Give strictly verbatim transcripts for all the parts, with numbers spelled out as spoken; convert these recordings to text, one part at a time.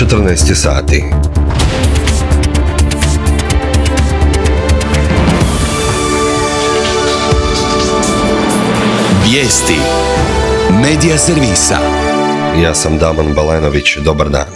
četrnaest je sati. Vijesti Medija servisa. Ja sam Damon Balenović, dobar dan.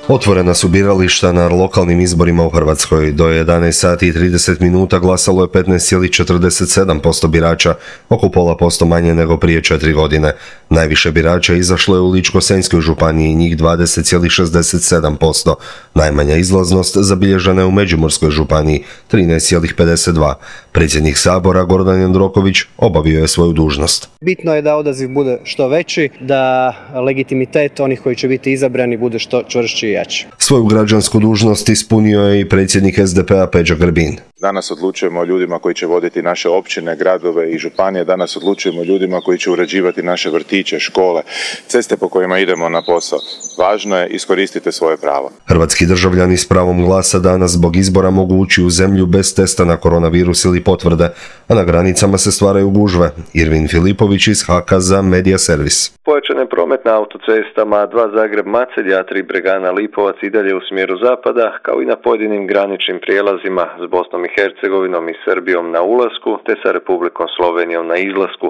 Otvorena su birališta na lokalnim izborima u Hrvatskoj. Do jedanaest sati i trideset minuta glasalo je petnaest zarez četrdeset sedam posto birača, oko pola posto manje nego prije četiri godine. Najviše birača izašlo je u Ličko-senjskoj županiji, njih dvadeset zarez šezdeset sedam posto. Najmanja izlaznost zabilježena je u Međimurskoj županiji, trinaest zarez pedeset dva. Predsjednik Sabora Gordan Jandroković obavio je svoju dužnost. Bitno je da odaziv bude što veći, da legitimitet onih koji će biti izabrani bude što čvršći i jači. Svoju građansku dužnost ispunio je i predsjednik es de pe a Peđa Grbin. Danas odlučujemo o ljudima koji će voditi naše općine, gradove i županije. Danas odlučujemo o ljudima koji će uređivati naše vrtiće, škole, ceste po kojima idemo na posao. Važno je iskoristiti svoje pravo. Hrvatski državljani s pravom glasa danas zbog izbora mogu ući u zemlju bez testa na koronavirus ili potvrde, a na granicama se stvaraju gužve. Irvin Filipović iz Haka za Medija servis. Pojačan je promet na autocestama, dva Zagreb-Macelj, a tri Bregana-Lipovac i dalje u smjeru zapada, kao i na pojedinim graničnim prijelazima s Bosnom i Hercegovinom i Srbijom na ulasku, te sa Republikom Slovenijom na izlasku.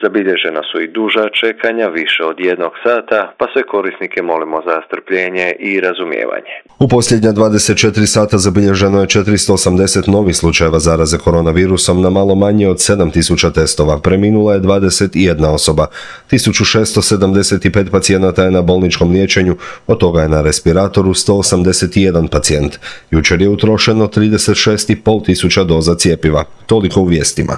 Zabilježena su i duža čekanja, više od jednog sata, pa sve korisnike molimo za strpljenje i razumijevanje. U posljednja dvadeset četiri sata zabilježeno je četiristo osamdeset novih slučajeva zaraze koronavirusom na malo manje od sedam tisuća testova. Preminula je dvadeset jedna osoba. tisuću šesto sedamdeset pet pacijenata je na bolničkom liječenju, od toga je na respiratoru sto osamdeset jedan pacijent. Jučer je utrošeno trideset šest i pol tisuća doza cjepiva. Toliko u vijestima.